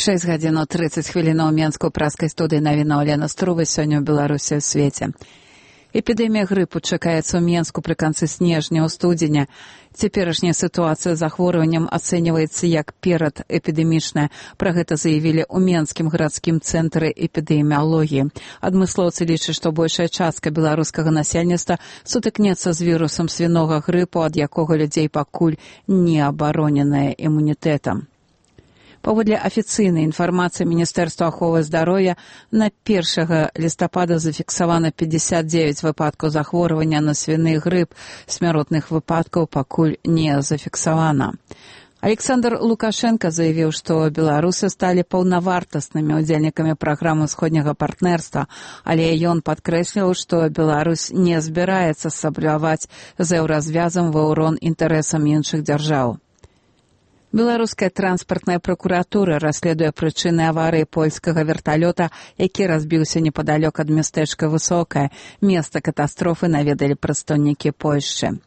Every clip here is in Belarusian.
6:30 ў Менску праскай студыі навіна Олена Струва сёння ў Беларусі ў свеце. Эпідэмія грыпу чакаецца ў Менску пры канцы снежня ў студзеня. Цяперашняя сітуацыя з захворваннем ацэньваецца як перадэпідэмічная. Пра гэта заявілі ў Менскім гарадскім цэнтры эпідэміялогіі. Адмыслоўцы лічаць, што большая частка беларускага насельніцтва сутыкнецца з вірусам свінога грыпу, ад якога людзей пакуль не абароненая імунітэтам. Паводле афіцыйнай інфармацыі Міністэрства аховы здароўя, на 1 лістапада зафіксавана 59 выпадкаў захворвання на свіны грып, смяротных выпадкаў пакуль не зафіксавана. Александр Лукашенко заявіў, што беларусы сталі паўнавартаснымі удзельнікамі праграмы ўсходняга партнерства, але ён падкрэсліў, што Беларусь не збіраецца сабляваць з еўразвязам ва ўрон інтарэсам іншых дзяржаў. Беларуская транспартная пракуратура расследуе прычыны аварыі польскага верталёта, які разбіўся непадалёк ад мястэчка Высокае. Месца катастрофы наведалі прадстаўнікі Польшчы.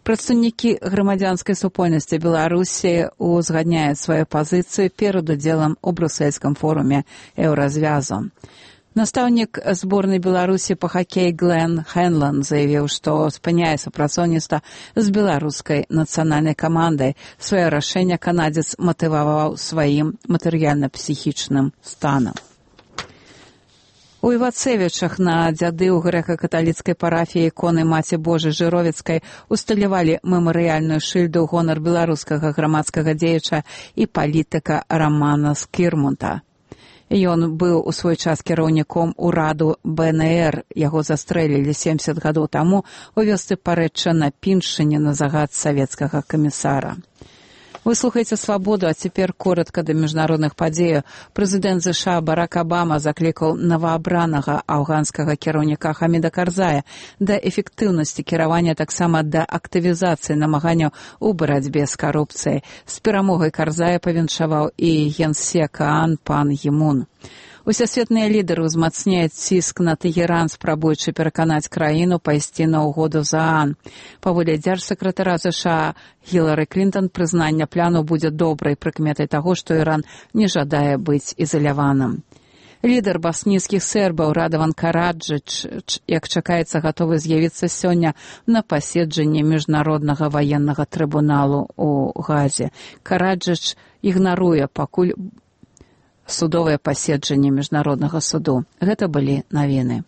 Прадстаўнікі грамадзянскай супольнасці Беларусі узгадняюць сваю пазіцыю перад удзелам у брусельскім форуме еўразвязу. Настаўнік зборнай Беларусі па хакеі Глен Хэнлан заявіў, што спыняе супрацоўніцтва з беларускай нацыянальнай камандай. Сваё рашэнне канадзец матываваў сваім матэрыяльна-псіхічным станам. У Івацевічах на дзяды ў грэка-каталіцкай парафіі іконы Маці Божай Жыровіцкай усталявалі мемарыяльную шыльду ў гонар беларускага грамадскага дзеяча і палітыка Рамана Скірмунта. Ён быў у свой час кіраўніком ураду БНР. Яго застрэлілі 70 гадоў таму у вёсцы Парэчча на Піншыне на загад савецкага камісара. Вы слухаеце «Свабоду», а цяпер коратка да міжнародных падзеяў. Прэзідэнт ЗША Барак Абама заклікаў новаабранага афганскага кіраўніка Хаміда Карзая да эфектыўнасці кіравання, таксама да актывізацыі намаганняў у барацьбе з карупцыяй. З перамогай Карзая павіншаваў і генсек ААН пан Гімун. Усесветныя лідары ўзмацняюць ціск на Тэгеран, спрабуючы пераканаць краіну пайсці на ўгоду з ААН. Паводле дзяржсакратара ЗША Гілары Клінтон, прызнанне плану будзе добрай прыкметай таго, што Іран не жадае быць ізаляваным. Лідар баснійскіх сербаў Радаван Караджыч, як чакаецца, гатовы з'явіцца сёння на паседжанні міжнароднага ваеннага трыбуналу ў Газе. Караджыч ігнаруе пакуль судовае паседжанне міжнароднага суду. Гэта былі навіны.